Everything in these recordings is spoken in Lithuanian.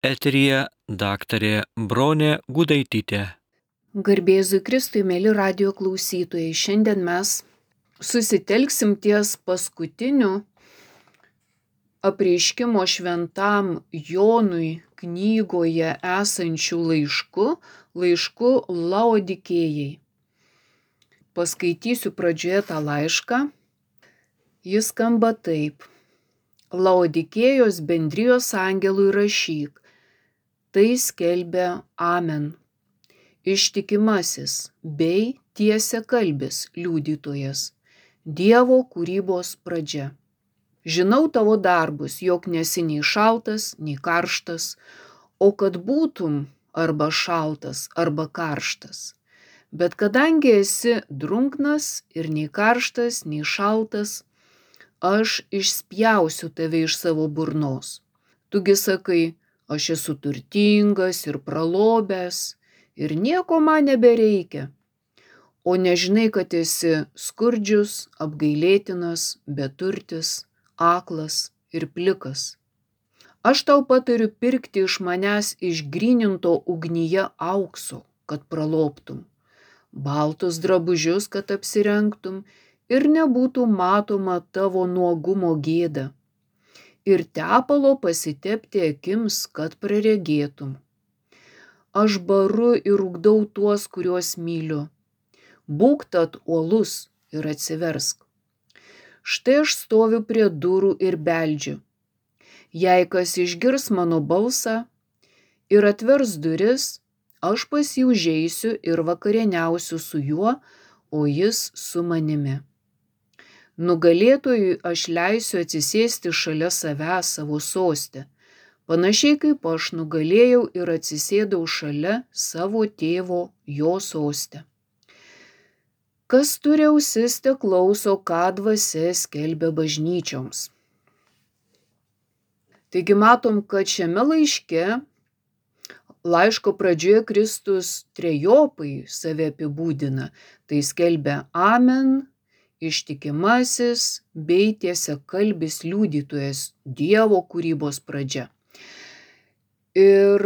Eteryje daktarė Bronė Gudaitytė. Garbėzui Kristui, mėly radijo klausytojai, šiandien mes susitelksim ties paskutiniu apreiškimo šventam Jonui knygoje esančių laišku Laodikėjai. Paskaitysiu pradžioje tą laišką. Jis skamba taip. Laodikėjos bendrijos angelui rašyk. Tai skelbia Amen. Ištikimasis bei tiesiakalbis liudytojas, Dievo kūrybos pradžia. Žinau tavo darbus, jog nesi nei šaltas, nei karštas, o kad būtum arba šaltas, arba karštas. Bet kadangi esi drunknas ir nei karštas, nei šaltas, aš išspjausiu tave iš savo burnos. Tugi sakai, aš esu turtingas ir pralobęs, ir nieko man nebereikia, o nežinai, kad esi skurdžius, apgailėtinas, beturtis, aklas ir plikas. Aš tau patariu pirkti iš manęs išgryninto ugnyje aukso, kad pralobtum, baltus drabužius, kad apsirengtum ir nebūtų matoma tavo nuogumo gėda, ir tepalo pasitepti akims, kad praregėtum. Aš baru ir ugdau tuos, kuriuos myliu. Būk tad uolus ir atsiversk. Štai aš stoviu prie durų ir beldžiu. Jei kas išgirs mano balsą ir atvers duris, aš pas jį užeisiu ir vakarieniausiu su juo, o jis su manimi. Nugalėtojui aš leisiu atsisėsti šalia savęs savo soste, panašiai kaip aš nugalėjau ir atsisėdau šalia savo tėvo jo soste. Kas turi ausis, te klauso, ką dvasia skelbia bažnyčioms. Taigi matom, kad šiame laiško pradžioje Kristus trejopai save apibūdina. Tai skelbia Amen, ištikimasis bei tiesiakalbis liudytojas, Dievo kūrybos pradžia. Ir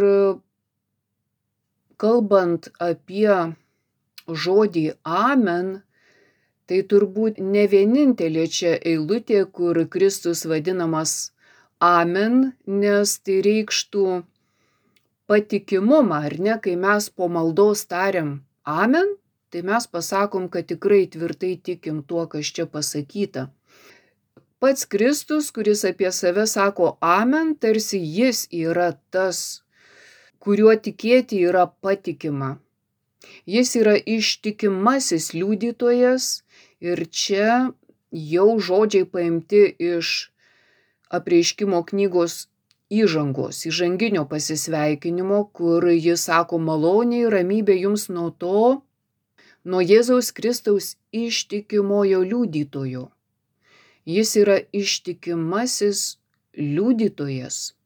kalbant apie žodį Amen, tai turbūt ne vienintelė čia eilutė, kur Kristus vadinamas Amen, nes tai reikštų patikimumą, ar ne? Kai mes po maldos tariam Amen, tai mes pasakom, kad tikrai tvirtai tikim tuo, kas čia pasakyta. Pats Kristus, kuris apie save sako Amen, tarsi jis yra tas, kuriuo tikėti yra patikima. Jis yra ištikimasis liudytojas ir čia jau žodžiai paimti iš apreiškimo knygos įžanginio pasisveikinimo, kur jis sako malonė ir ramybė jums nuo Jėzaus Kristaus ištikimojo liudytojo. Jis yra ištikimasis liudytojas.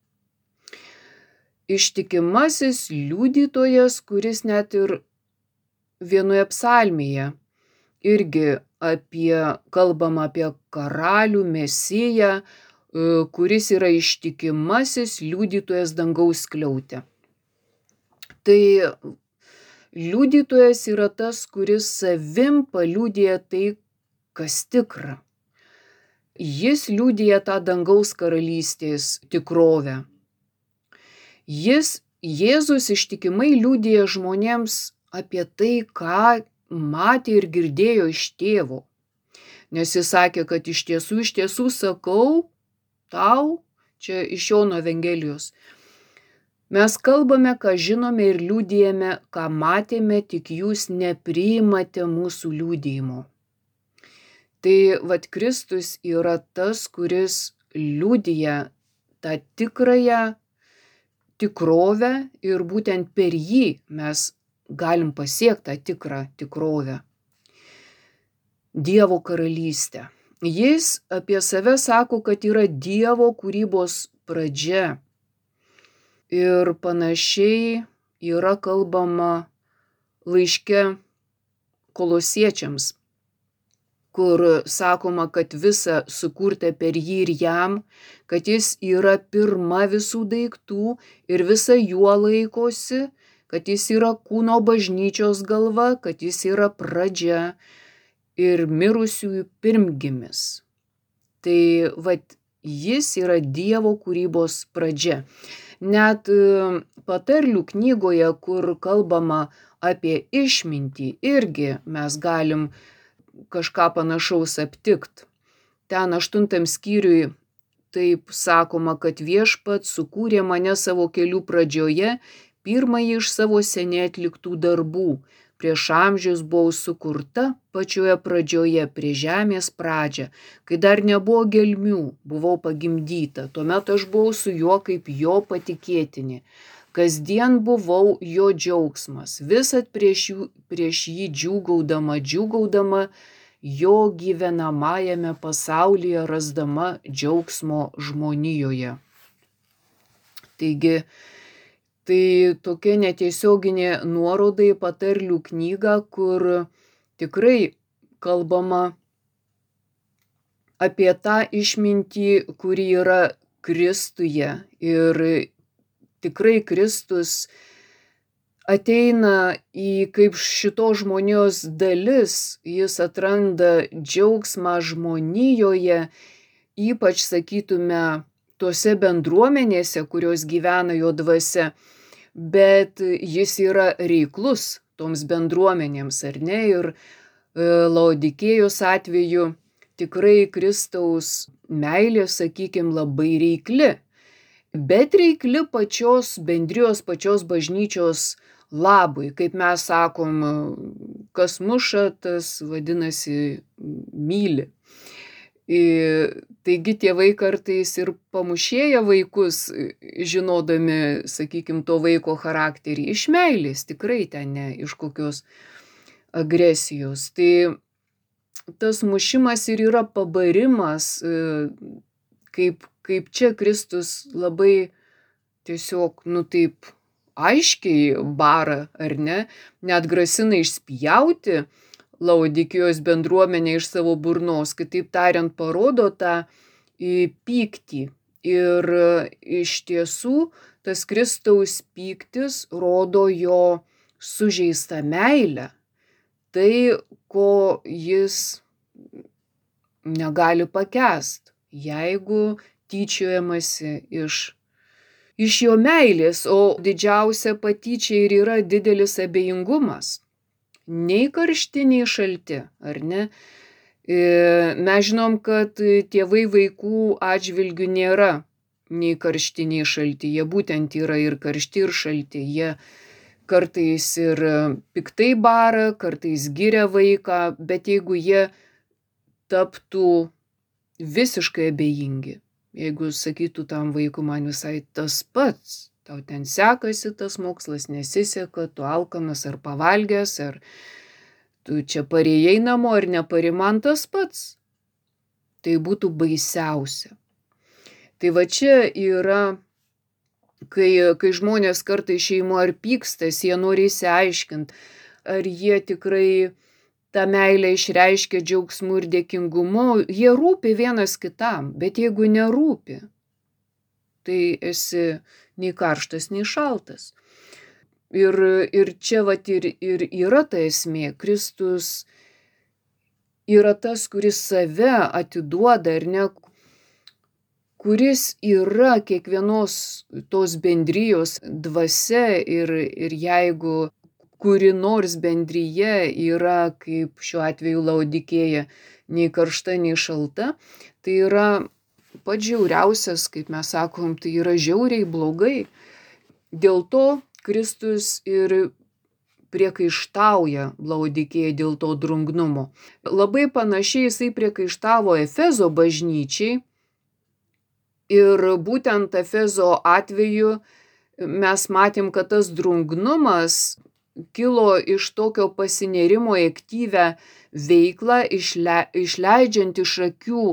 Ištikimasis liudytojas, kuris net ir vienoje psalmėje irgi kalbama apie karalių Mesiją, kuris yra ištikimasis liudytojas dangaus skliaute. Tai liudytojas yra tas, kuris savim paliudija tai, kas tikra. Jis liudija tą dangaus karalystės tikrovę. Jėzus ištikimai liudija žmonėms apie tai, ką matė ir girdėjo iš tėvo. Nes jis sakė, kad iš tiesų sakau tau, čia iš Jono Evangelijos, mes kalbame, ką žinome ir liudijame, ką matėme, tik jūs nepriimate mūsų liudijimo. Tai Kristus yra tas, kuris liudija tą tikrąją tikrovę ir būtent per jį mes galim pasiekti tą tikrą tikrovę. Dievo karalystę. Jis apie save sako, kad yra Dievo kūrybos pradžia. Ir panašiai yra kalbama laiške Kolosiečiams. kur sakoma, kad visa sukurta per jį ir jam, kad jis yra pirma visų daiktų ir visa juo laikosi, kad jis yra kūno bažnyčios galva, kad jis yra pradžia ir mirusiųjų pirmgimis. Tai jis yra Dievo kūrybos pradžia. Net patarlių knygoje, kur kalbama apie išmintį, irgi mes galim kažką panašaus aptikt. Ten 8 skyriui taip sakoma, kad Viešpats sukūrė mane savo kelių pradžioje, pirmąjį iš savo seniai atliktų darbų. Prieš amžius buvau sukurta pačioje pradžioje, prie žemės pradžią, kai dar nebuvo gelmių, buvau pagimdyta, tuomet aš buvau su juo kaip jo patikėtinė. Kasdien buvau jo džiaugsmas, visad prieš jį džiūgaudama, jo gyvenamajame pasaulyje rasdama džiaugsmo žmonijoje. Taigi, tai tokia netiesioginė nuoroda į patarlių knygą, kur tikrai kalbama apie tą išmintį, kuri yra Kristuje. Ir tikrai Kristus ateina į kaip šito žmonijos dalis, jis atranda džiaugsmą žmonijoje, ypač sakytume, tose bendruomenėse, kurios gyvena jo dvasia, bet jis yra reiklus toms bendruomenėms, ar ne? Ir Laodikėjos atveju tikrai Kristaus meilė, sakykim, labai reikli, bet reikli pačios bendrijos, pačios bažnyčios labui. Kaip mes sakom, kas muša, tas vadinasi myli. Taigi tėvai kartais ir pamušėja vaikus, žinodami, sakykim, to vaiko charakterį, iš meilės, tikrai ten ne iš kokios agresijos. Tai tas mušimas ir yra pabarimas, kaip čia Kristus labai tiesiog, taip aiškiai bara, ar ne, net grasina išspjauti Laodikijos bendruomenė iš savo burnos, kitaip tariant, parodo tą pyktį. Ir iš tiesų tas Kristaus pyktis rodo jo sužeistą meilę. Tai, ko jis negali pakęst, jeigu tyčiojamasi iš jo meilės, o didžiausia patyčia ir yra didelis abejingumas. Nei karšti, nei šalti, ar ne? Mes žinom, kad tėvai vaikų atžvilgių nėra nei karšti, nei šalti. Jie būtent yra ir karšti, ir šalti. Jie kartais ir piktai bara, kartais giria vaiką, bet jeigu jie taptų visiškai abejingi, jeigu sakytų tam vaikui, man visai tas pats, tau ten sekasi, tas mokslas nesiseka, tu alkanas ar pavalgęs, ar tu čia parėjai namo ar neparėjai, man tas pats. Tai būtų baisiausia. Tai čia yra, kai žmonės kartais šeimo ar pykstas, jie nori įsiaiškinti, ar jie tikrai tą meilę išreiškia džiaugsmu ir dėkingumu, jie rūpi vienas kitam, bet jeigu nerūpi, tai esi nei karštas, nei šaltas. Ir čia ir yra ta esmė. Kristus yra tas, kuris save atiduoda, ar ne, kuris yra kiekvienos tos bendrijos dvasia ir jeigu kuri nors bendryje yra, kaip šiuo atveju Laodikėja, nei karšta, nei šalta, tai yra pats žiauriausias, kaip mes sakom, tai yra žiauriai blogai. Dėl to Kristus ir priekaištauja Laodikėjai dėl to drungnumo. Labai panašiai jisai priekaištavo Efezo bažnyčiai ir būtent Efezo atveju mes matėm, kad tas drungnumas kilo iš tokio pasinėrimo į aktyvią veiklą, išleidžiant iš akių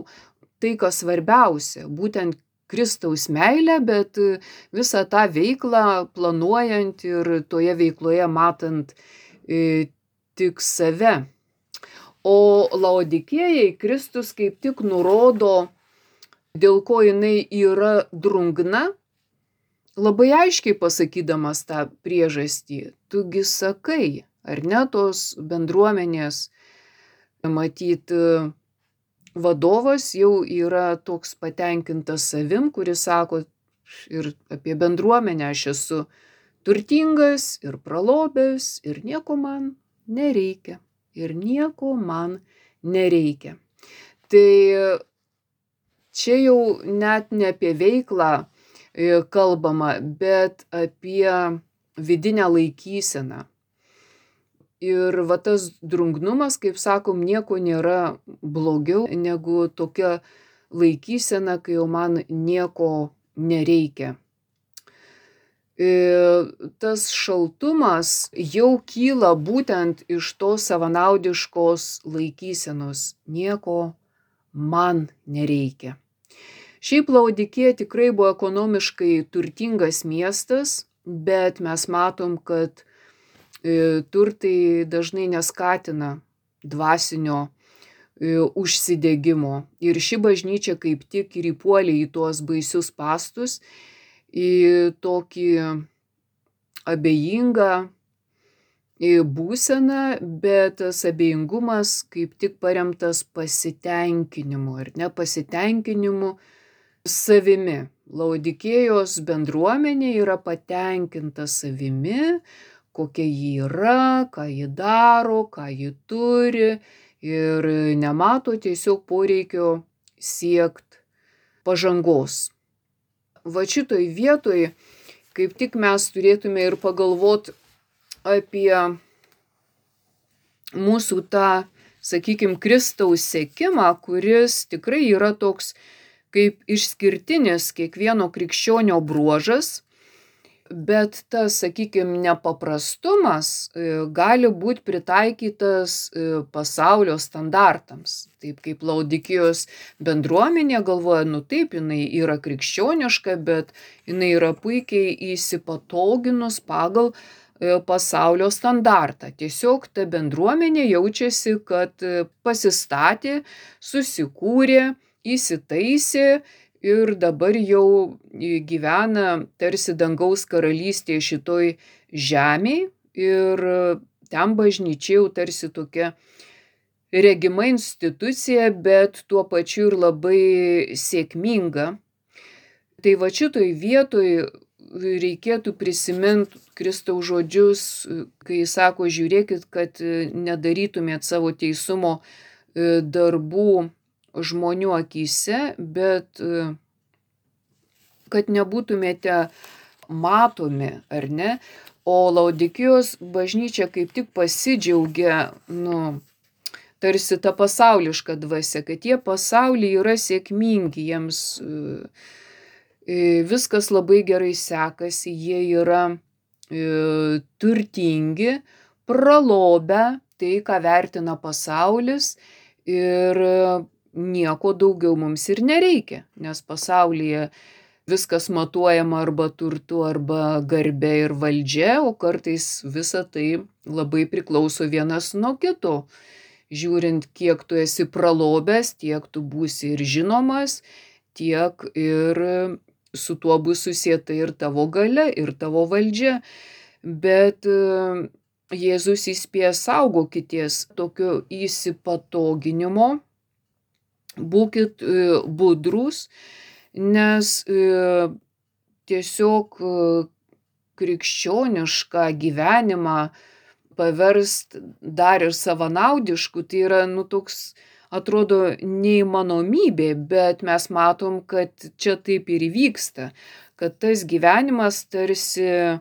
tai, kas svarbiausia, būtent Kristaus meilę, bet visą tą veiklą planuojant ir toje veikloje matant tik save. O Laodikėjai Kristus kaip tik nurodo, dėl ko jinai yra drungna, labai aiškiai pasakydamas tą priežastį. Tugi sakai, ar ne, tos bendruomenės, matyt, vadovas jau yra toks patenkintas savim, kuris sako ir apie bendruomenę: aš esu turtingas ir pralobęs ir nieko man nereikia. Ir nieko man nereikia. Tai čia jau net ne apie veiklą kalbama, bet apie vidinę laikyseną. Ir va tas drungnumas, kaip sakom, nieko nėra blogiau negu tokia laikysena, kai jau man nieko nereikia. Tas šaltumas jau kyla būtent iš tos savanaudiškos laikysenos. Nieko man nereikia. Šiaip Laodikėja tikrai buvo ekonomiškai turtingas miestas, bet mes matom, kad turtai dažnai neskatina dvasinio užsidegimo. Ir ši bažnyčia kaip tik ir įpuolė į tuos baisius spąstus, į tokį abejingą būseną, bet tas abejingumas kaip tik paremtas pasitenkinimu, ar ne, pasitenkinimu savimi. Laodikėjos bendruomenė yra patenkinta savimi, kokia ji yra, ką ji daro, ką ji turi, ir nemato tiesiog poreikio siekt pažangos. Va šitoj vietoj kaip tik mes turėtume ir pagalvoti apie mūsų tą, sakykime, Kristaus sekimą, kuris tikrai yra toks kaip išskirtinis kiekvieno krikščionio bruožas, bet tas, sakykime, nepaprastumas gali būti pritaikytas pasaulio standartams. Taip kaip Laodikėjos bendruomenė galvoja, taip, jinai yra krikščioniška, bet jinai yra puikiai įsipatoginus pagal pasaulio standartą. Tiesiog ta bendruomenė jaučiasi, kad pasistatė, susikūrė, įsitaisė ir dabar jau gyvena tarsi dangaus karalystėje šitoj žemėj, ir ten bažnyčia jau tarsi tokia regima institucija, bet tuo pačiu ir labai sėkminga. Tai va šitoj vietoj reikėtų prisiminti Kristaus žodžius, kai jis sako, žiūrėkit, kad nedarytumėt savo teisumo darbų žmonių akyse, bet kad nebūtumėte matomi, ar ne? O Laodikėjos bažnyčia kaip tik pasidžiaugia, tarsi ta pasauliška dvasia, kad jie pasaulyje yra sėkmingi, jiems viskas labai gerai sekasi, jie yra turtingi, pralobę tai, ką vertina pasaulis, ir nieko daugiau mums ir nereikia, nes pasaulyje viskas matuojama arba turtu, arba garbe ir valdžia, o kartais visa tai labai priklauso vienas nuo kito. Žiūrint, kiek tu esi pralobęs, tiek tu būsi ir žinomas, tiek ir su tuo bus susieta ir tavo galia, ir tavo valdžia. Bet Jėzus įspėja, saugokitės tokio įsipatoginimo, būkit budrūs, nes tiesiog krikščionišką gyvenimą paverst dar ir savanaudišku, tai yra toks, atrodo, neįmanomybė, bet mes matom, kad čia taip ir įvyksta, kad tas gyvenimas tarsi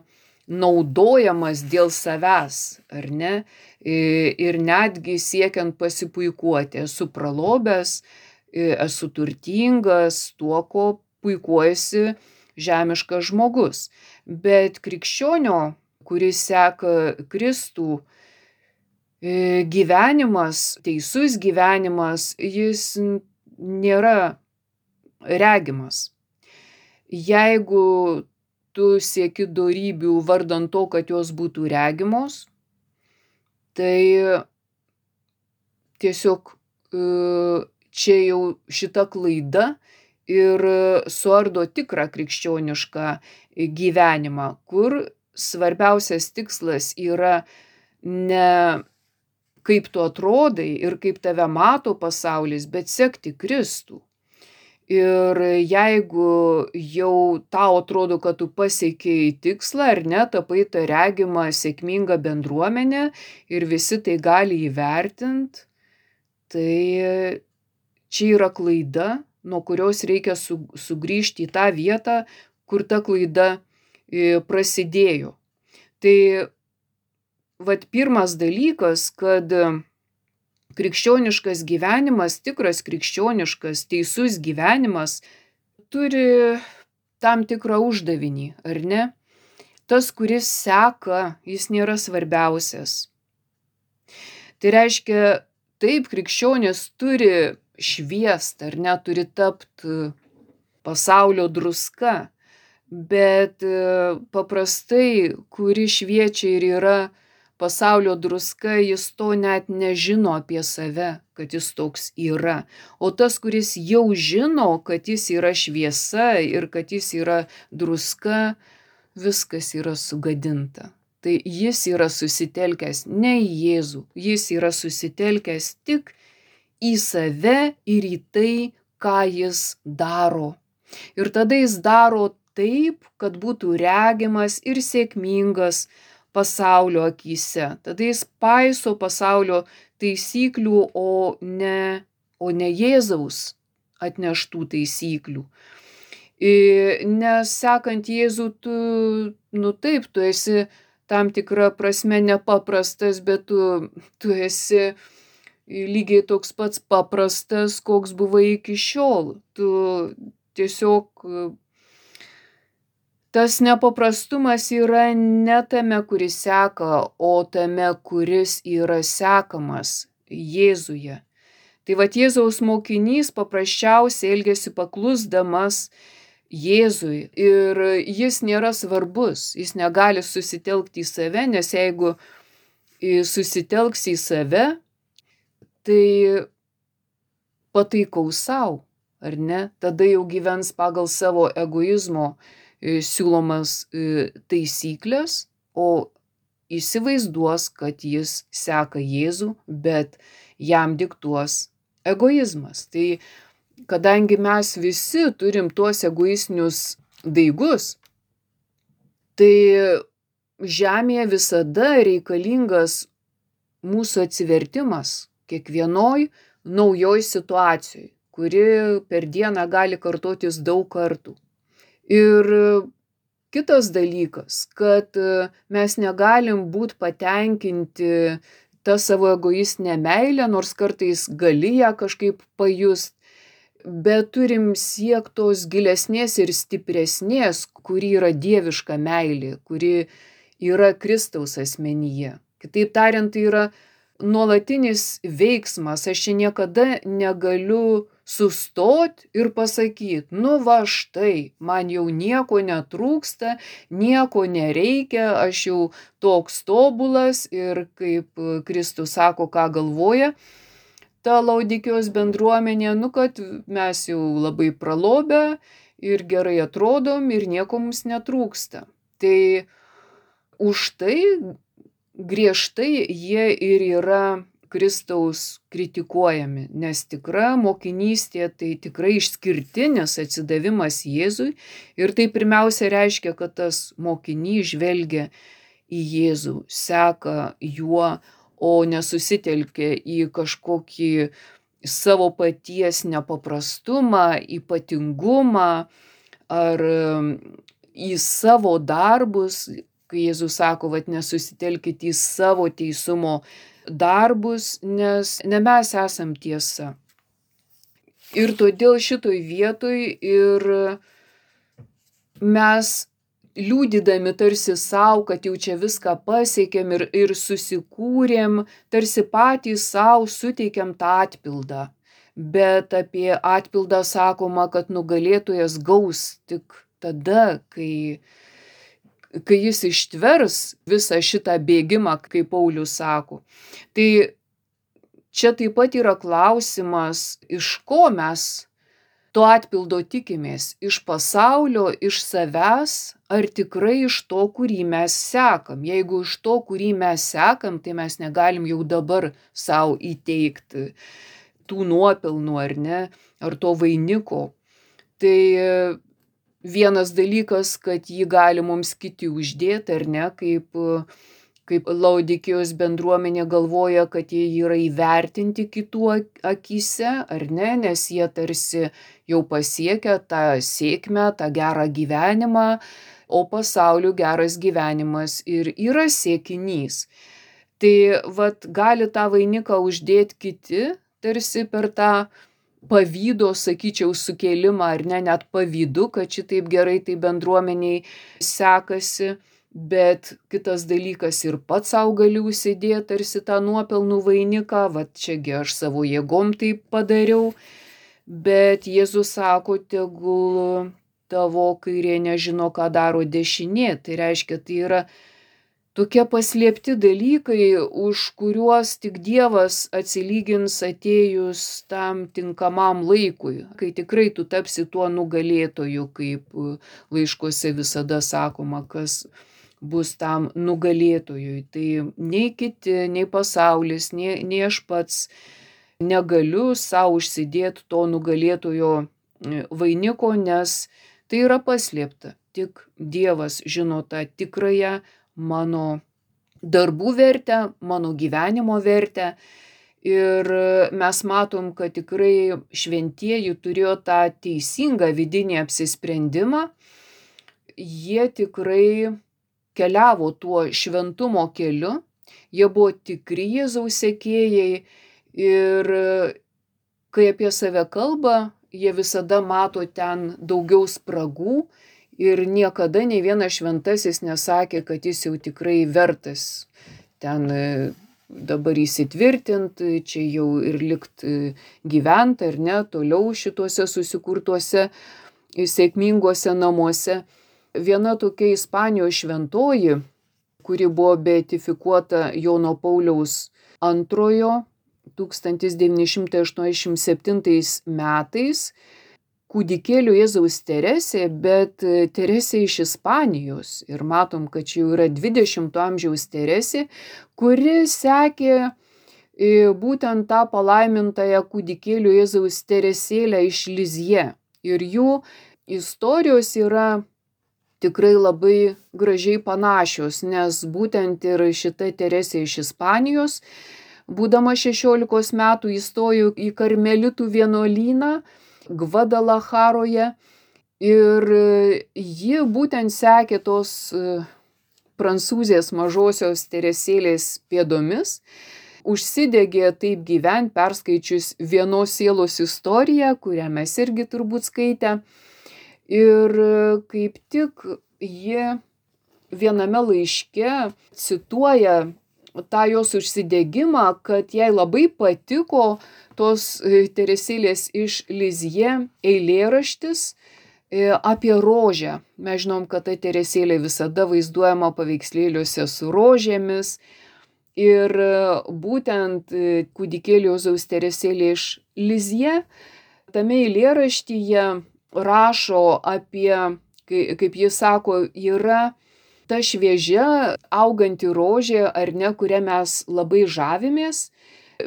naudojamas dėl savęs, ar ne? Ir netgi siekiant pasipuikuoti, esu pralobęs, esu turtingas, tuo, ko puikuojasi žemiškas žmogus. Bet krikščionio, kuris seka Kristų, gyvenimas, teisus gyvenimas, jis nėra regimas. Jeigu tu sieki dorybių vardan to, kad jos būtų regimos, tai tiesiog čia jau šita klaida ir suardo tikrą krikščionišką gyvenimą, kur svarbiausias tikslas yra ne kaip tu atrodai ir kaip tave mato pasaulis, bet sekti Kristų. Ir jeigu jau tau atrodo, kad tu pasiekei tikslą ar ne, tapai tą regimą sėkmingą bendruomenę ir visi tai gali įvertinti, tai čia yra klaida, nuo kurios reikia sugrįžti į tą vietą, kur ta klaida prasidėjo. Tai vat pirmas dalykas, kad krikščioniškas gyvenimas, tikras krikščioniškas, teisus gyvenimas turi tam tikrą uždavinį, ar ne? Tas, kuris seka, jis nėra svarbiausias. Tai reiškia, taip, krikščionis turi šviest, ar ne, turi tapti pasaulio druska, bet paprastai, kuri šviečia ir yra pasaulio druska, jis to net nežino apie save, kad jis toks yra. O tas, kuris jau žino, kad jis yra šviesa ir kad jis yra druska, viskas yra sugadinta. Tai jis yra susitelkęs ne į Jėzų, jis yra susitelkęs tik į save ir į tai, ką jis daro. Ir tada jis daro taip, kad būtų regimas ir sėkmingas pasaulio akyse. Tada jis paiso pasaulio taisyklių, o ne Jėzaus atneštų taisyklių. Nes sekant Jėzų, tu esi tam tikrą prasme nepaprastas, bet tu esi lygiai toks pats paprastas, koks buvai iki šiol. Tu tiesiog tas nepaprastumas yra ne tame, kuris seka, o tame, kuris yra sekamas Jėzuje. Tai vat Jėzaus mokinys paprasčiausiai elgiasi paklusdamas Jėzui ir jis nėra svarbus, jis negali susitelkti į save, nes jeigu susitelks į save, tai pataikaus savo, ar ne? Tada jau gyvens pagal savo egoizmo siūlomas taisyklės, o įsivaizduos, kad jis seka Jėzų, bet jam diktuos egoizmas. Tai kadangi mes visi turim tuos egoistinius daigus, tai žemėje visada reikalingas mūsų atsivertimas kiekvienoj naujoj situacijoj, kuri per dieną gali kartotis daug kartų. Ir kitas dalykas, kad mes negalim būti patenkinti tą savo egoistinę meilę, nors kartais gali ją kažkaip pajust, bet turim siekti tos gilesnės ir stipresnės, kuri yra dieviška meilė, kuri yra Kristaus asmenyje. Kitaip tariant, tai yra nuolatinis veiksmas. Aš čia niekada negaliu sustot ir pasakyti, va štai, man jau nieko netrūksta, nieko nereikia, aš jau toks tobulas ir kaip Kristus sako, ką galvoja ta Laudikijos bendruomenė, kad mes jau labai pralobę ir gerai atrodom ir nieko mums netrūksta. Tai už tai griežtai jie ir yra Kristaus kritikuojami, nes tikra mokinystė tai tikrai išskirtinis atsidavimas Jėzui ir tai pirmiausia reiškia, kad tas mokinys žvelgia į Jėzų, seka juo, o nesusitelkia į kažkokį savo paties nepaprastumą, ypatingumą ar į savo darbus, kai Jėzus sako, nesusitelkit į savo teisumo darbus, nes ne mes esam tiesa. Ir todėl šitoj vietoj ir mes liūdydami tarsi savo, kad jau čia viską pasiekėm ir susikūrėm, tarsi patys savo suteikėm tą atpildą. Bet apie atpildą sakoma, kad nugalėtojas gaus tik tada, kai jis ištvers visą šitą bėgimą, kaip Paulius sako. Tai čia taip pat yra klausimas, iš ko mes to atpildo tikimės, iš pasaulio, iš savęs, ar tikrai iš to, kurį mes sekam. Jeigu iš to, kurį mes sekam, tai mes negalim jau dabar savo įteikti tų nuopelnų, ar ne, ar to vainiko. Tai vienas dalykas, kad jį gali mums kiti uždėti, ar ne, kaip Laodikėjos bendruomenė galvoja, kad jie yra įvertinti kitų akyse, ar ne, nes jie tarsi jau pasiekia tą sėkmę, tą gerą gyvenimą, o pasaulio geras gyvenimas ir yra siekinys. Tai gali tą vainiką uždėti kiti, tarsi per tą pavydo, sakyčiau, sukėlimą, ar ne, net pavydu, kad šitaip gerai tai bendruomeniai sekasi. Bet kitas dalykas ir pats savo gali užsidėti tarsi tą nuopelnų vainiką, čiagi aš savo jėgom taip padariau, bet Jėzus sako, tegul tavo kairė nežino, ką daro dešinė. Tai reiškia, tai yra tokie paslėpti dalykai, už kuriuos tik Dievas atsilygins atėjus tam tinkamam laikui, kai tikrai tu tapsi tuo nugalėtoju, kaip laiškuose visada sakoma, kas bus tam nugalėtojui. Tai nei kiti, nei pasaulis, nei aš pats negaliu savo užsidėti to nugalėtojo vainiko, nes tai yra paslėpta. Tik Dievas žino tą tikrąją mano darbų vertę, mano gyvenimo vertę. Ir mes matom, kad tikrai šventieji turėjo tą teisingą vidinį apsisprendimą. Jie tikrai keliavo tuo šventumo keliu, jie buvo tikri Jėzaus sekėjai ir kai apie save kalba, jie visada mato ten daugiau spragų ir niekada nei vienas šventasis nesakė, kad jis jau tikrai vertas ten dabar įsitvirtinti, čia jau ir likt gyventi, ar ne, toliau šituose susikurtuose sėkminguose namuose. Viena tokia Ispanijos šventoji, kuri buvo beatifikuota Jono Pauliaus II 1987 metais, kūdikėlių Jėzaus Teresė, bet Teresė iš Ispanijos. Ir matom, kad čia jau yra 20 amžiaus Teresė, kuri sekė būtent tą palaimintąją kūdikėlių Jėzaus Teresėlę iš Lizjė. Ir jų istorijos yra tikrai labai gražiai panašios, nes būtent ir šita Teresė iš Ispanijos, būdama 16 metų, įstojo į karmelitų vienuolyną Gvadalacharoje ir ji būtent sekė tos prancūzės mažosios Teresėlės pėdomis, užsidegė taip gyvent, perskaičius Vienos sielos istoriją, kurią mes irgi turbūt skaitę. Ir kaip tik ji viename laiške cituoja tą jos užsidegimą, kad jai labai patiko tos Teresėlės iš Lizjė eilėraštis apie rožę. Mes žinom, kad ta Teresėlė visada vaizduojama paveikslėliuose su rožėmis. Ir būtent kūdikėlio Jėzaus Teresėlė iš Lizjė tame eilėraštyje rašo apie, kaip jis sako, yra ta šviežia auganti rožė, ar ne, kurią mes labai žavimės,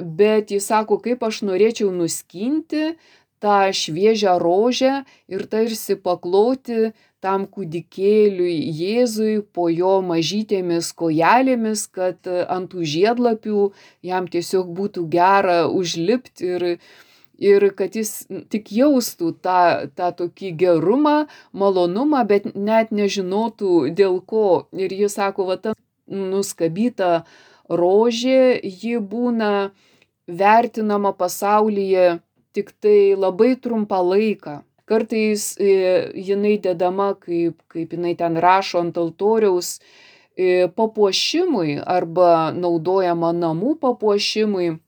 bet jis sako, kaip aš norėčiau nuskinti tą šviežią rožę ir tarsi pakloti tam kūdikėliui Jėzui po jo mažytėmis kojelėmis, kad ant tų žiedlapių jam tiesiog būtų gera užlipti ir kad jis tik jaustų tą tokį gerumą, malonumą, bet net nežinotų dėl ko. Ir jis sako, ta nuskabyta rožė, ji būna vertinama pasaulyje tik tai labai trumpą laiką. Kartais jinai dedama, kaip jinai ten rašo ant altoriaus, papuošimui arba naudojama namų papuošimui,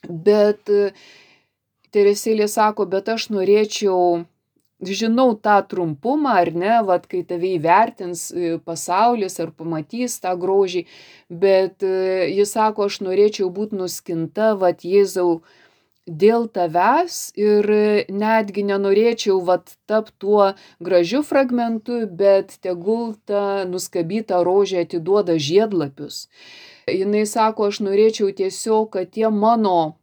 bet Teresėlė sako, bet aš norėčiau žinau tą trumpumą, ar ne, vat, kai tave įvertins pasaulis ar pamatys tą grožį, bet jis sako, aš norėčiau būti nuskinta, vat, Jėzau, dėl tavęs ir netgi nenorėčiau vat tapti tuo gražiu fragmentu, bet tegul ta nuskabyta rožė atiduoda žiedlapius. Jinai sako, aš norėčiau tiesiog, kad tie mano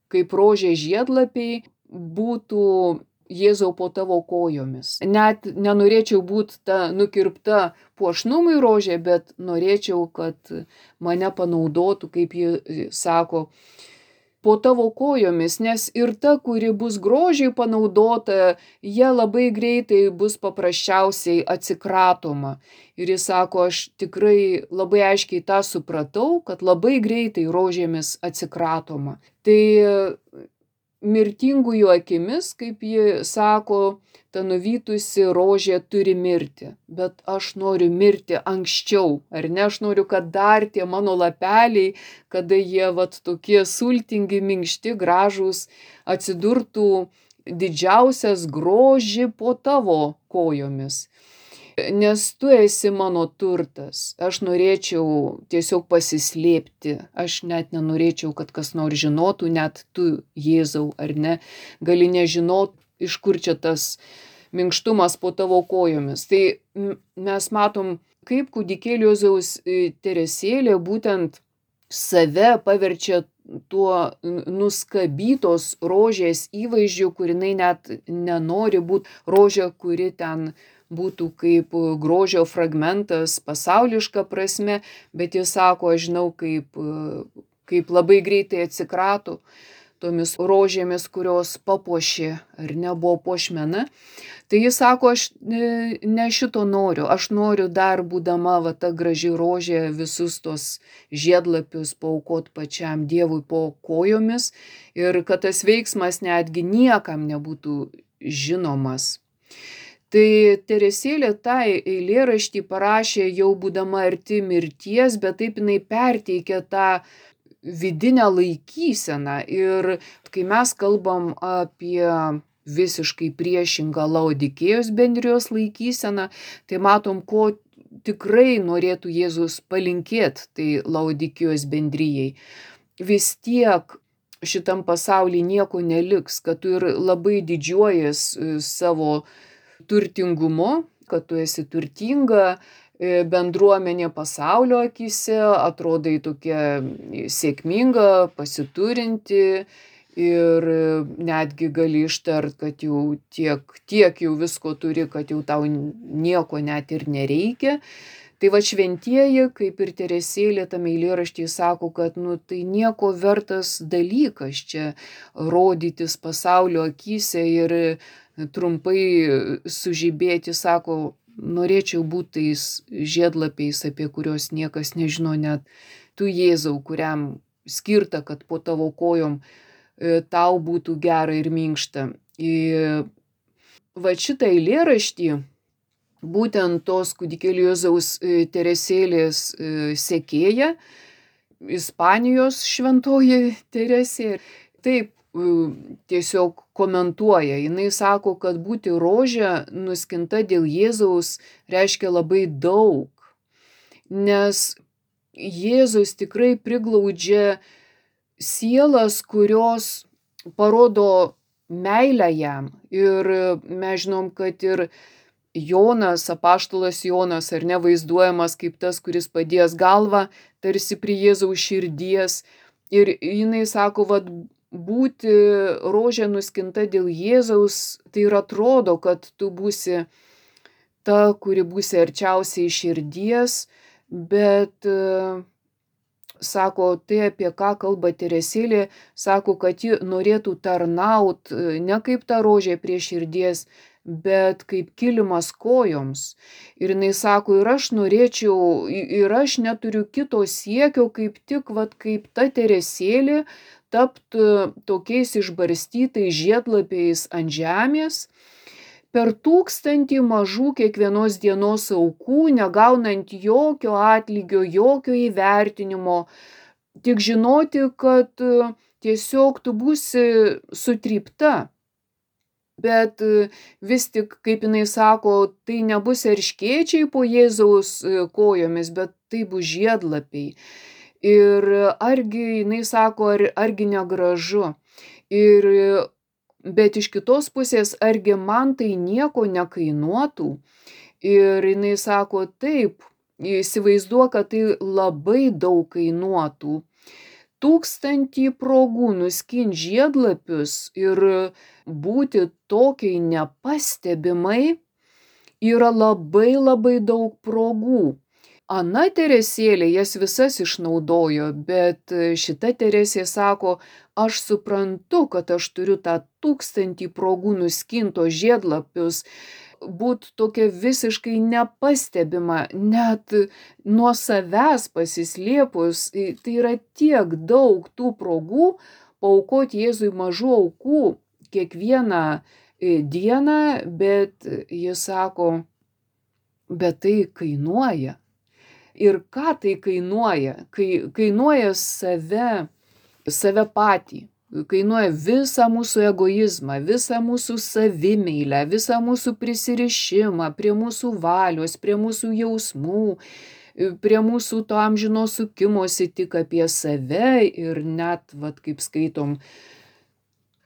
kaip rožė žiedlapiai būtų Jėzau po tavo kojomis. Net nenorėčiau būti ta nukirpta puošnumui rožė, bet norėčiau, kad mane panaudotų, kaip ji sako, po tavo kojomis, nes ir ta, kuri bus grožiai panaudota, jie labai greitai bus paprasčiausiai atsikratoma. Ir jis sako, aš tikrai labai aiškiai tą supratau, kad labai greitai rožėmis atsikratoma. Tai mirtingųjų akimis, kaip ji sako, ta nuvytusi rožė turi mirti, bet aš noriu mirti anksčiau, ar ne, aš noriu, kad dar tie mano lapeliai, kada jie vat tokie sultingi, minkšti, gražūs, atsidurtų didžiausias grožį po tavo kojomis. Nes tu esi mano turtas, aš norėčiau tiesiog pasislėpti, aš net nenorėčiau, kad kas nors žinotų, net tu, Jėzau, ar ne, gali nežinot, iš kur čia tas minkštumas po tavo kojomis. Tai mes matom, kaip kūdikėlio Jėzaus Teresėlė būtent save paverčia tuo nuskabytos rožės įvaizdžiu, kur jinai net nenori būti rožė, kuri ten būtų kaip grožio fragmentas pasauliška prasme, bet jis sako, aš žinau, kaip labai greitai atsikrato tomis rožėmis, kurios papuošė ar nebuvo puošmena. Tai jis sako, aš ne šito noriu, aš noriu dar būdama va ta graži rožė visus tos žiedlapius paaukot pačiam Dievui po kojomis ir kad tas veiksmas netgi niekam nebūtų žinomas. Tai Teresėlė tą eilėraštį parašė jau būdama arti mirties, bet taip jinai perteikė tą vidinę laikyseną. Ir kai mes kalbam apie visiškai priešingą Laodikėjos bendrijos laikyseną, tai matom, ko tikrai norėtų Jėzus palinkėti tai Laodikėjos bendrijai. Vis tiek šitam pasaulyje nieko neliks, kad tu ir labai didžiuojies savo turtingumu, kad tu esi turtinga, bendruomenė pasaulio akyse, atrodai tokia sėkminga, pasiturinti ir netgi gali ištart, kad jau tiek jau visko turi, kad jau tau nieko net ir nereikia. Tai va šventieji, kaip ir Teresėlė tame eilėraštyje sako, kad tai nieko vertas dalykas čia rodytis pasaulio akyse ir trumpai sužibėti, sako, norėčiau būti tais žiedlapiais, apie kuriuos niekas nežino, net tu, Jėzau, kuriam skirta, kad po tavo kojom tau būtų gera ir minkšta. Va šitą eilėraštį būtent tos kūdikėlio Jėzaus Teresėlės sekėja, Ispanijos šventoji Teresė, taip tiesiog komentuoja. Jinai sako, kad būti rožė nuskinta dėl Jėzaus reiškia labai daug, nes Jėzus tikrai priglaudžia sielas, kurios parodo meilę jam. Ir mes žinom, kad ir Jonas, apaštalas Jonas, ar ne, vaizduojamas kaip tas, kuris padėjęs galvą tarsi prie Jėzaus širdies. Ir jinai sako, vat, būti rožė nuskinta dėl Jėzaus, tai ir atrodo, kad tu būsi ta, kuri būsi arčiausiai širdies, bet sako, tai apie ką kalba Teresėlė, sako, kad ji norėtų tarnaut ne kaip ta rožė prie širdies, bet kaip kilimas kojoms. Ir jinai sako, ir aš norėčiau, ir aš neturiu kito siekio, kaip tik, vat, kaip ta Teresėlė, tapt tokiais išbarstytais žiedlapiais ant žemės, per 1000 mažų kiekvienos dienos aukų, negaunant jokio atlygio, jokio įvertinimo, tik žinoti, kad tiesiog tu būsi sutrypta. Bet vis tik, kaip jinai sako, tai nebus erškėčiai po Jėzaus kojomis, bet tai bus žiedlapiai. Ir argi, jinai sako, argi negražu. Ir, bet iš kitos pusės, argi man tai nieko nekainuotų. Ir jinai sako, taip, įsivaizduok, kad tai labai daug kainuotų. 1000 progų nuskint žiedlapius ir būti tokiai nepastebimai yra labai labai daug progų. Ana Teresėlė jas visas išnaudojo, bet šita Teresė sako, aš suprantu, kad aš turiu tą 1000 progų nuskinto žiedlapius, būt tokia visiškai nepastebima, net nuo savęs pasislėpus. Tai yra tiek daug tų progų paaukoti Jėzui mažų aukų kiekvieną dieną, bet jis sako, bet tai kainuoja. Ir ką tai kainuoja? Kainuoja save patį. Kainuoja visą mūsų egoizmą, visą mūsų savimeilę, visą mūsų prisirišimą prie mūsų valios, prie mūsų jausmų, prie mūsų to amžino sukimosi tik apie save ir net, kaip skaitom,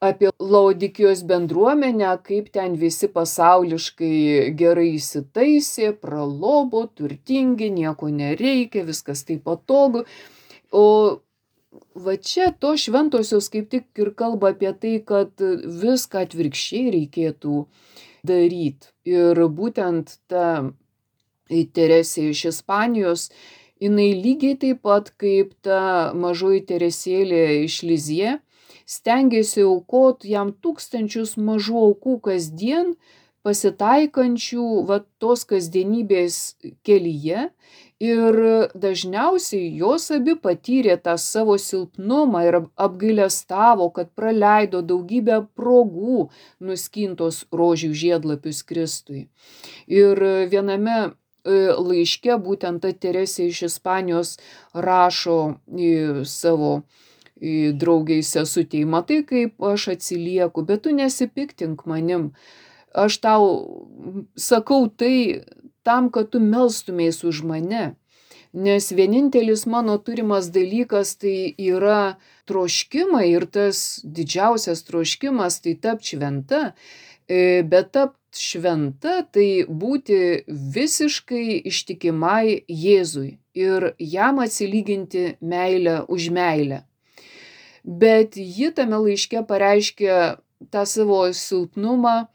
apie Laodikijos bendruomenę, kaip ten visi pasauliškai gerai įsitaisė, pralobo, turtingi, nieko nereikia, viskas taip patogu. O va čia to šventosios kaip tik ir kalba apie tai, kad viską atvirkščiai reikėtų daryti. Ir būtent ta Teresė iš Ispanijos, jinai lygiai taip pat kaip ta mažoji Teresėlė iš Lizie, stengiasi aukoti jam 1000 mažų aukų kasdien, pasitaikančių tos kasdienybės kelyje. Ir dažniausiai jos abi patyrė tą savo silpnumą ir apgailestavo, kad praleido daugybę progų nuskintos rožių žiedlapius Kristui. Ir viename laiške būtent ta Teresė iš Ispanijos rašo savo draugiai sesutei, matai, kaip aš atsilieku, bet tu nesipiktink manim. Aš tau sakau tai tam, kad tu melstumės už mane. Nes vienintelis mano turimas dalykas tai yra troškimai ir tas didžiausias troškimas tai tapt šventa. Bet tapt šventa tai būti visiškai ištikimai Jėzui ir jam atsilyginti meilę už meilę. Bet ji tame laiške pareiškė tą savo silpnumą,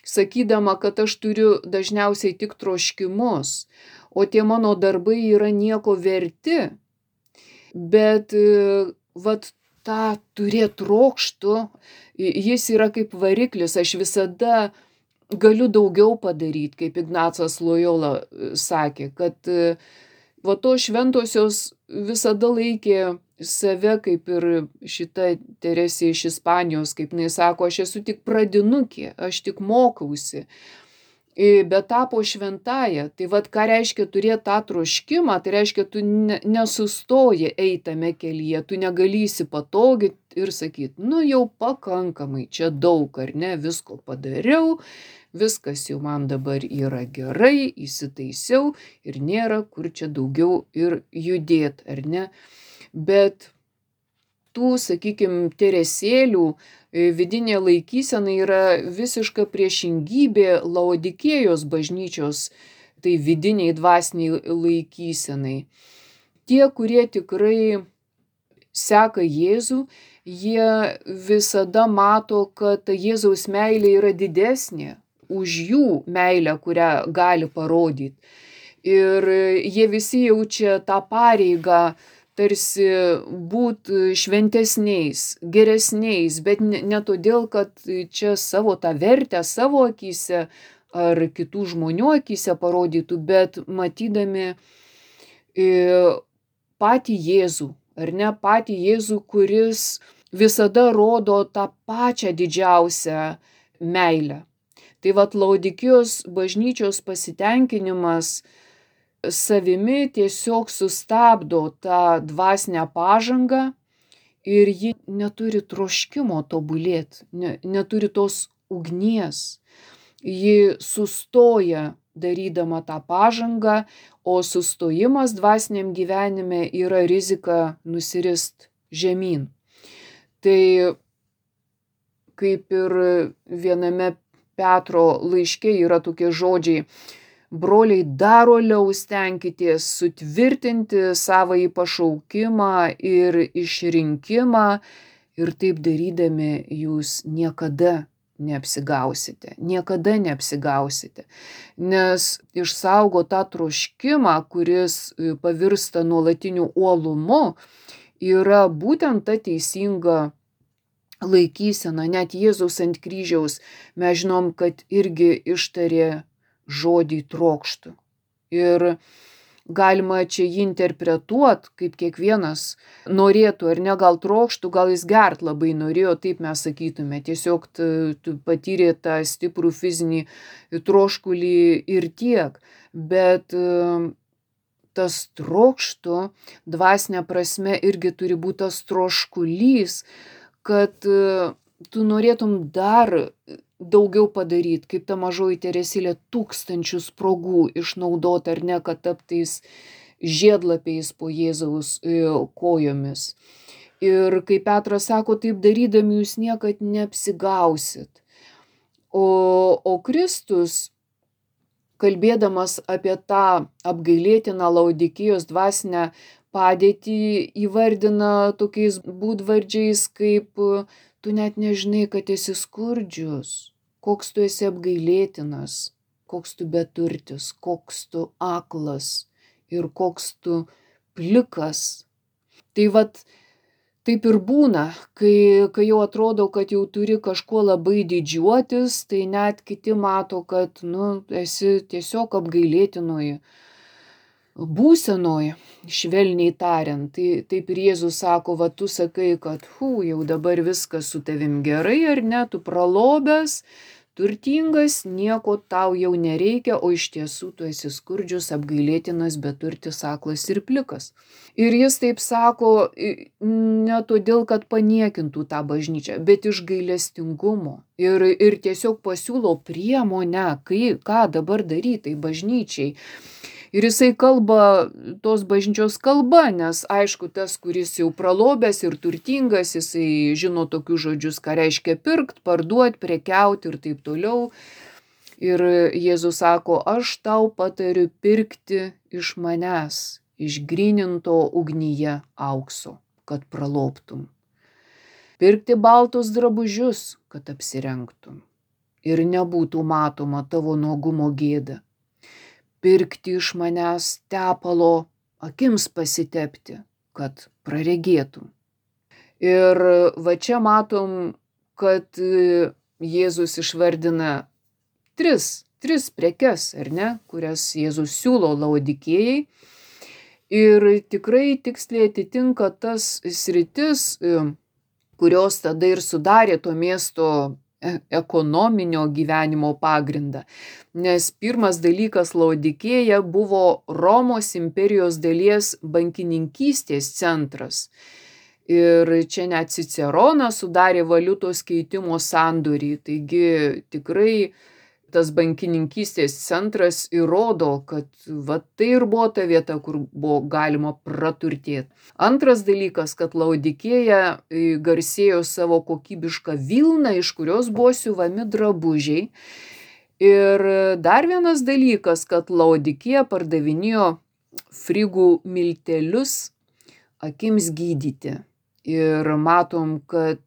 sakydama, kad aš turiu dažniausiai tik troškimus, o tie mano darbai yra nieko verti. Bet tą turėt trokštų, jis yra kaip variklis, aš visada galiu daugiau padaryti, kaip Ignacas Lojola sakė, kad to šventosios visada laikė save, kaip ir šita Teresė iš Ispanijos, kaip jinai sako, aš esu tik pradinukė, aš tik mokausi, bet tapo šventąja. Tai ką reiškia turėti tą troškimą, tai reiškia, tu nesustoji eitame kelyje, tu negali įsipatoginti ir sakyti, jau pakankamai, čia daug, ar ne, visko padariau, viskas jau man dabar yra gerai, įsitaisiau ir nėra kur čia daugiau ir judėti, ar ne. Bet tų, sakykime, Teresėlių vidinė laikysena yra visiška priešingybė Laodikėjos bažnyčios, tai vidiniai dvasiniai laikysenai. Tie, kurie tikrai seka Jėzų, jie visada mato, kad Jėzaus meilė yra didesnė už jų meilę, kurią gali parodyti. Ir jie visi jaučia tą pareigą tarsi būti šventesniais, geresniais, bet ne todėl, kad čia savo tą vertę savo akyse ar kitų žmonių akyse parodytų, bet matydami patį Jėzų, ar ne, patį Jėzų, kuris visada rodo tą pačią didžiausią meilę. Tai Laodikijos bažnyčios pasitenkinimas savimi tiesiog sustabdo tą dvasinę pažangą ir ji neturi troškimo tobulėti, neturi tos ugnies. Ji sustoja darydama tą pažangą, o sustojimas dvasiniam gyvenime yra rizika nusirist žemyn. Tai kaip ir viename Petro laiške yra tokie žodžiai: broliai, dar uoliau stenkitės sutvirtinti savąjį pašaukimą ir išrinkimą, ir taip darydami jūs niekada neapsigausite, nes išsaugo tą troškimą, kuris pavirsta nuolatiniu uolumu, yra būtent ta teisinga laikysena. Net Jėzaus ant kryžiaus mes žinom, kad irgi ištarė žodį trokštu. Ir galima čia jį interpretuoti, kaip kiekvienas norėtų, ar ne, gal trokštų, gal jis gert labai norėjo, taip mes sakytume. Tiesiog tu patyrė tą stiprų fizinį troškulį ir tiek. Bet tas trokštų dvasinė prasme irgi turi būti tas troškulys, kad tu norėtum dar daugiau padaryti, kaip ta mažoji Teresėlė, tūkstančius sprogų išnaudoti, ar ne, kad taptais žiedlapiais po Jėzaus kojomis. Ir kaip Petras sako, taip darydami jūs niekad neapsigausit. O Kristus, kalbėdamas apie tą apgailėtiną Laodikėjos dvasinę padėtį, įvardina tokiais būdvardžiais kaip tu net nežinai, kad esi skurdžius, koks tu esi apgailėtinas, koks tu beturtis, koks tu aklas ir koks tu plikas. Tai vat taip ir būna, kai jau atrodo, kad jau turi kažkuo labai didžiuotis, tai net kiti mato, kad esi tiesiog apgailėtinoj būsenoj, švelniai tariant. Tai taip ir Jėzus sako, va tu sakai, kad jau dabar viskas su tavim gerai, ar ne, tu pralobęs, turtingas, nieko tau jau nereikia, o iš tiesų tu esi skurdžius, apgailėtinas, beturtis, aklas ir plikas. Ir jis taip sako ne todėl, kad paniekintų tą bažnyčią, bet iš gailestingumo. Ir tiesiog pasiūlo priemonę, ką dabar daryti tai bažnyčiai. Ir jisai kalba tos bažnyčios kalba, nes aišku, tas, kuris jau pralobęs ir turtingas, jisai žino tokius žodžius, ką reiškia pirkt, parduot, prekiauti ir taip toliau. Ir Jėzus sako, aš tau patariu pirkti iš manęs, išgryninto ugnyje aukso, kad pralobtum. Pirkti baltus drabužius, kad apsirengtum. Ir nebūtų matoma tavo nuogumo gėda. Pirkti iš manęs tepalo akims pasitepti, kad praregėtum. Ir va čia matom, kad Jėzus išvardina tris prekes, ar ne, kurias Jėzus siūlo Laodikėjai. Ir tikrai tiksliai atitinka tas sritis, kurios tada ir sudarė to miesto ekonominio gyvenimo pagrindą. Nes pirmas dalykas, Laodikėja buvo Romos imperijos dalies bankininkystės centras. Ir čia net Ciceronas sudarė valiutos keitimo sandorį. Taigi tikrai tas bankininkystės centras įrodo, kad tai ir buvo ta vieta, kur buvo galima praturtėti. Antras dalykas, kad Laodikėja garsėjo savo kokybišką vilną, iš kurios buvo siuvami drabužiai. Ir dar vienas dalykas, kad Laodikėja pardavinėjo frigų miltelius akims gydyti. Ir matom, kad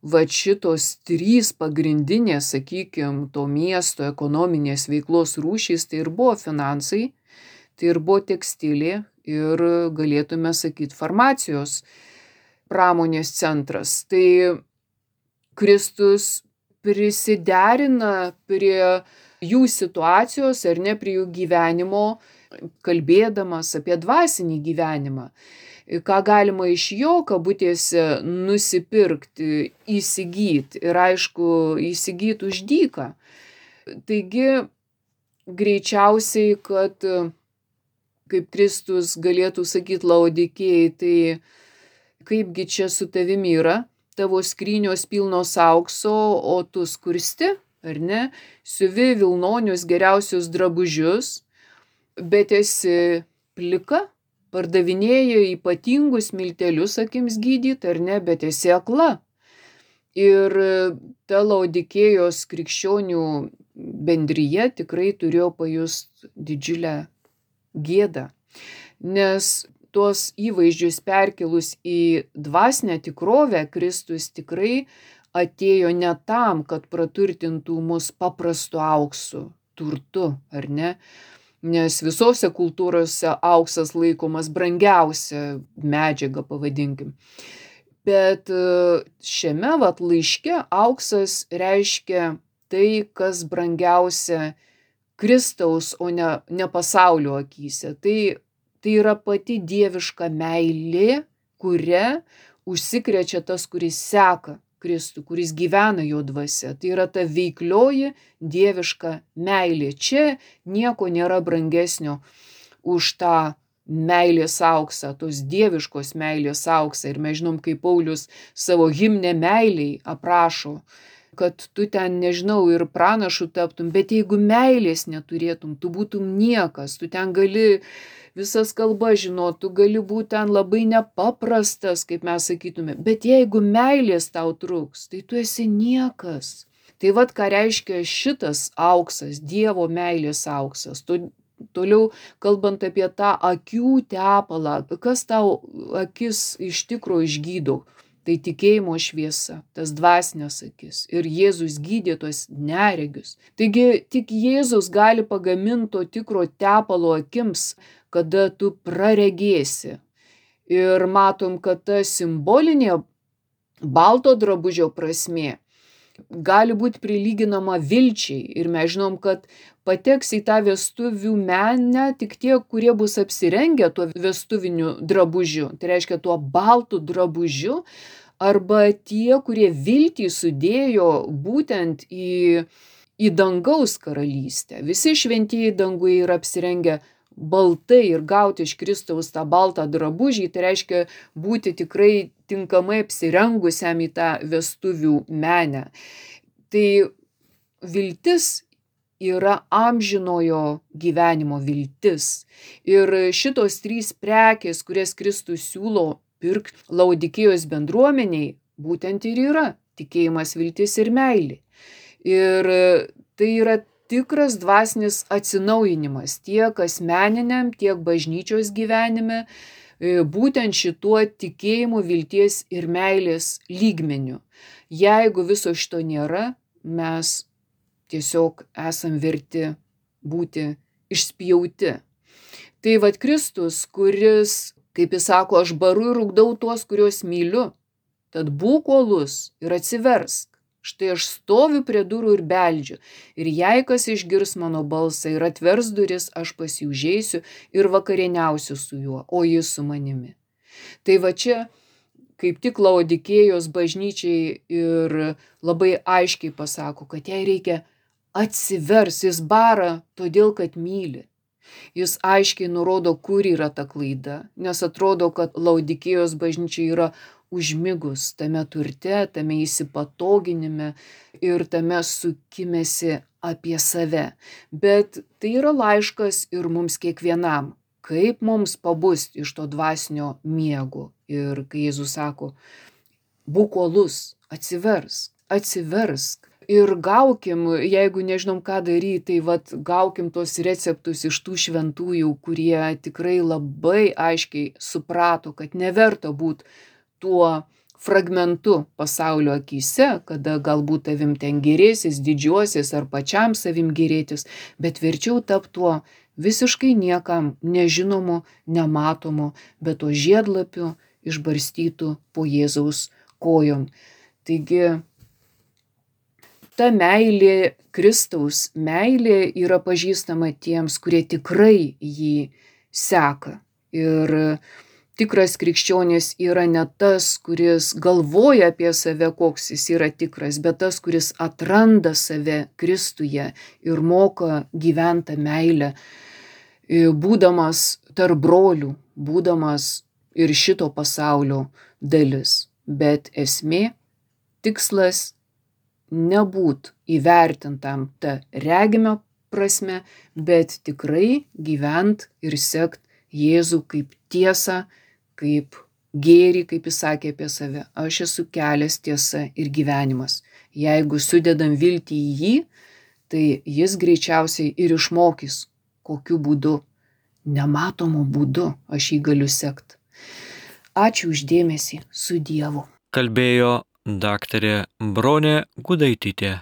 šitos trys pagrindinės, sakykime, to miesto ekonominės veiklos rūšys, tai ir buvo finansai, tai ir buvo tekstilė ir galėtume sakyti farmacijos pramonės centras. Tai Kristus prisiderina prie jų situacijos, ar ne, prie jų gyvenimo, kalbėdamas apie dvasinį gyvenimą. Ką galima iš jo, kabutėse, nusipirkti, įsigyti ir aišku, įsigyti už dyką. Taigi, greičiausiai, kad kaip Kristus galėtų sakyti Laodikėjai, tai kaipgi čia su tavimi yra, tavo skrynios pilnos aukso, o tu skursti, ar ne, siuvi vilnonius geriausius drabužius, bet esi plika, pardavinėji ypatingus miltelius akims gydyti, ar ne, bet esi akla. Ir ta Laodikėjos krikščionių bendrija tikrai turėjo pajust didžiulę gėdą, nes tuos įvaizdžius perkelus į dvasinę tikrovę, Kristus tikrai atėjo ne tam, kad praturtintų mus paprastu auksu, turtu, ar ne? Nes visose kultūrose auksas laikomas brangiausia medžiaga, pavadinkim. Bet šiame laiške auksas reiškia tai, kas brangiausia Kristaus, o ne pasaulio akyse. Tai yra pati dieviška meilė, kuria užsikrečia tas, kuris seka Kristų, kuris gyvena jo dvasia. Tai yra ta veiklioji dieviška meilė. Čia nieko nėra brangesnio už tą meilės auksą, tos dieviškos meilės auksą. Ir mes žinom, kaip Paulius savo himne meiliai aprašo, kad tu ten, nežinau, ir pranašu taptum, bet jeigu meilės neturėtum, tu būtum niekas, tu ten gali visas kalbas žinot, tu gali būti ten labai nepaprastas, kaip mes sakytume, bet jeigu meilės tau trūks, tai tu esi niekas. Tai ką reiškia šitas auksas, Dievo meilės auksas. Toliau kalbant apie tą akių tepalą, kas tau akis iš tikro išgydo, tai tikėjimo šviesa, tas dvasinės akis. Ir Jėzus gydė tuos neregius. Taigi tik Jėzus gali pagaminti to tikro tepalo akims, kada tu praregėsi. Ir matom, kad ta simbolinė balto drabužio prasmė gali būti prilyginama vilčiai. Ir mes žinom, kad pateks į tą vestuvių menę tik tie, kurie bus apsirengę tuo vestuviniu drabužiu. Tai reiškia tuo baltu drabužiu, arba tie, kurie viltį sudėjo būtent į dangaus karalystę. Visi šventieji danguje yra apsirengę baltai ir gauti iš Kristaus tą baltą drabužį, tai reiškia būti tikrai tinkamai apsirengusiam į tą vestuvių menę. Tai viltis yra amžinojo gyvenimo viltis. Ir šitos 3 prekės, kurias Kristus siūlo pirkti Laodikėjos bendruomeniai, būtent ir yra tikėjimas, viltis ir meilė. Ir tai yra tikras dvasinis atsinaujinimas tiek asmeniniam, tiek bažnyčios gyvenime, būtent šituo tikėjimu, vilties ir meilės lygmeniu. Jeigu viso šito nėra, mes tiesiog esam verti būti išspjauti. Tai Kristus, kuris, kaip jis sako, aš baru ir rūkdau tuos, kuriuos myliu, tad būk uolus ir atsiversk. Štai aš stoviu prie durų ir beldžiu. Ir jei kas išgirs mano balsą ir atvers duris, aš pas jį užeisiu ir vakarieniausiu su juo, o jis su manimi. Tai čia kaip tik Laodikėjos bažnyčiai ir labai aiškiai pasako, kad jai reikia atsivers, jis bara todėl, kad myli. Jis aiškiai nurodo, kur yra ta klaida, nes atrodo, kad Laodikėjos bažnyčia yra užmigus tame turte, tame įsipatoginime ir tame sukimėsi apie save. Bet tai yra laiškas ir mums kiekvienam, kaip mums pabust iš to dvasinio miego. Ir kai Jėzus sako, būk uolus, atsiversk. Ir gaukim, jeigu nežinom ką daryti, tai gaukim tos receptus iš tų šventųjų, kurie tikrai labai aiškiai suprato, kad neverta būti tuo fragmentu pasaulio akyse, kada galbūt tavim ten gėrėsis, didžiuosis ar pačiam savim gėrėtis, bet verčiau tap tuo visiškai niekam nežinomu, nematomu, bet to žiedlapiu išbarstytų po Jėzaus kojom. Taigi, ta meilė, Kristaus meilė yra pažįstama tiems, kurie tikrai jį seka. Ir tikras krikščionis yra ne tas, kuris galvoja apie save, koks jis yra tikras, bet tas, kuris atranda save Kristuje ir moka gyventi meilę, būdamas tarp brolių, būdamas ir šito pasaulio dalis. Bet esmė tikslas nebūt įvertintam ta regime prasme, bet tikrai gyvent ir sekt Jėzų kaip tiesą, kaip gėrį, kaip jis sakė apie save. Aš esu kelias, tiesa ir gyvenimas. Jeigu sudedam viltį į jį, tai jis greičiausiai ir išmokys, kokiu būdu, nematomu būdu aš jį galiu sekt. Ačiū uždėmesį, su Dievu. Kalbėjo daktarė Bronė Gudaitytė.